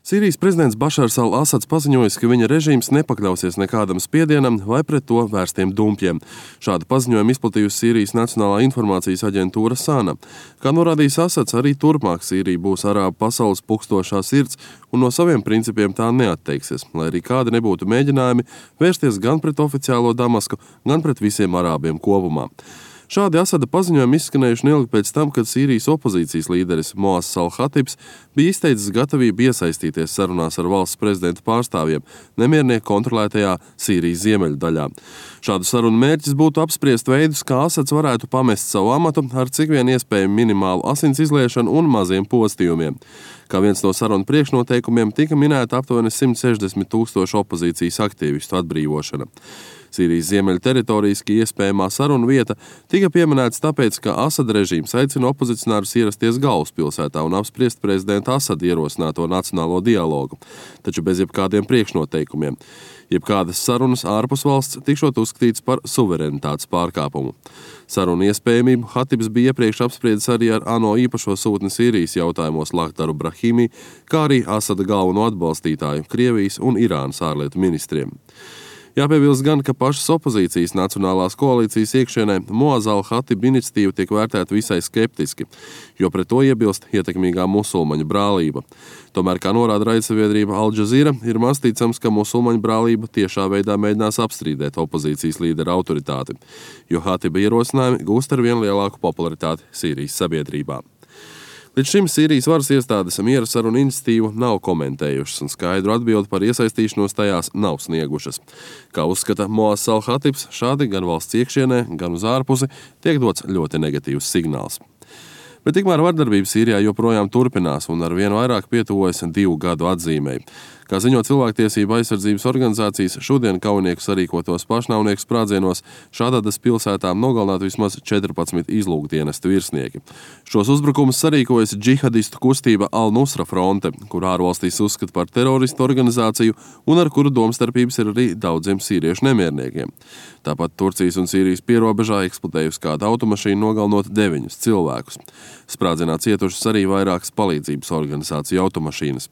Sīrijas prezidents Bašars al-Asads paziņojis, ka viņa režīms nepakļausies nekādam spiedienam vai pret to vērstiem dumpļiem. Šādu paziņojumu izplatījusi Sīrijas Nacionālā informācijas aģentūra SANA. Kā norādījis Asads, arī turpmāk Sīrija būs arābu pasaules pukstošā sirds un no saviem principiem tā neatteiksies, lai arī kādi nebūtu mēģinājumi vērsties gan pret oficiālo Damasku, gan pret visiem arābiem kopumā. Šādi Asada paziņojumi izskanējuši neilgi pēc tam, kad Sīrijas opozīcijas līderis Moass al-Khatibs bija izteicis gatavību iesaistīties sarunās ar valsts prezidenta pārstāvjiem nemiernieku kontrolētajā Sīrijas ziemeļu daļā. Šādu sarunu mērķis būtu apspriest veidus, kā Asads varētu pamest savu amatu ar cik vien iespēju minimālu asins izliešanu un maziem postījumiem. Kā viens no sarunu priekšnoteikumiem tika minēta aptuveni 160,000 opozīcijas aktīvistu atbrīvošana. Sīrijas ziemeļu teritorijas iespējamā sarunu vieta tika pieminēts tāpēc, ka Asada režīms aicina opozicionārus ierasties galvaspilsētā un apspriest prezidenta Asada ierosināto nacionālo dialogu, taču bez jebkādiem priekšnoteikumiem. Jebkādas sarunas ārpus valsts tikšot uzskatīts par suverenitātes pārkāpumu. Sarunu iespējamību Khatibs bija iepriekš apspriedis arī ar ANO īpašo sūtni Sīrijas jautājumos Lakdaru Brahimi, kā arī Asada galveno atbalstītāju Krievijas un Irānas ārlietu ministriem. Jāpiebilst gan, ka pašas opozīcijas nacionālās koalīcijas iekšienē Moass al-Khatib iniciatīva tiek vērtēta visai skeptiski, jo pret to iebilst ietekmīgā musulmaņu brālība. Tomēr, kā norāda raidsabiedrība Al Jazeera, ir maz ticams, ka musulmaņu brālība tiešā veidā mēģinās apstrīdēt opozīcijas līdera autoritāti, jo Khatiba ierosinājumi gūst ar vien lielāku popularitāti Sīrijas sabiedrībā. Līdz šim Sīrijas varas iestādes miera sarunu iniciatīvu nav komentējušas un skaidru atbildi par iesaistīšanos tajās nav sniegušas. Kā uzskata Moass al-Khatibs, šādi gan valsts iekšienē, gan uz ārpusi tiek dots ļoti negatīvs signāls. Bet tikmēr vardarbība Sīrijā joprojām turpinās un ar vien vairāk pietuvojas 2 gadu atzīmei. Kā ziņo cilvēktiesību aizsardzības organizācijas, šodien kaujinieku sarīkotos pašnāvnieku sprādzienos Šadadas pilsētā nogalināti vismaz 14 izlūkdienesta virsnieki. Šos uzbrukumus sarīkojas džihadistu kustība Al-Nusra fronte, kur ārvalstīs uzskata par teroristu organizāciju un ar kuru domstarpības ir arī daudziem sīriešu nemierniekiem. Tāpat Turcijas un Sīrijas pierobežā eksplodējusi kāda automašīna nogalinot 9 cilvēkus. Sprādzienā cietušas arī vairākas palīdzības organizāciju automašīnas.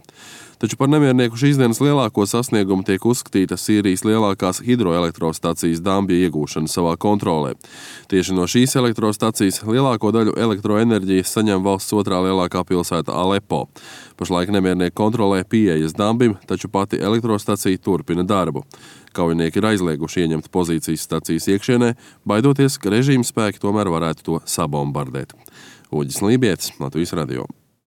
Taču par nemiernieku šīs dienas lielāko sasniegumu tiek uzskatīta Sīrijas lielākās hidroelektrostacijas Dambija iegūšana savā kontrolē. Tieši no šīs elektrostacijas lielāko daļu elektroenerģijas saņem valsts otrā lielākā pilsēta Alepo. Pašlaik nemiernieki kontrolē pieejas Dambim, taču pati elektrostacija turpina darbu. Kaujinieki ir aizlieguši ieņemt pozīcijas stacijas iekšienē, baidoties, ka režīma spēki tomēr varētu to sabombardēt. Uģis Lībietis, Latvijas radio.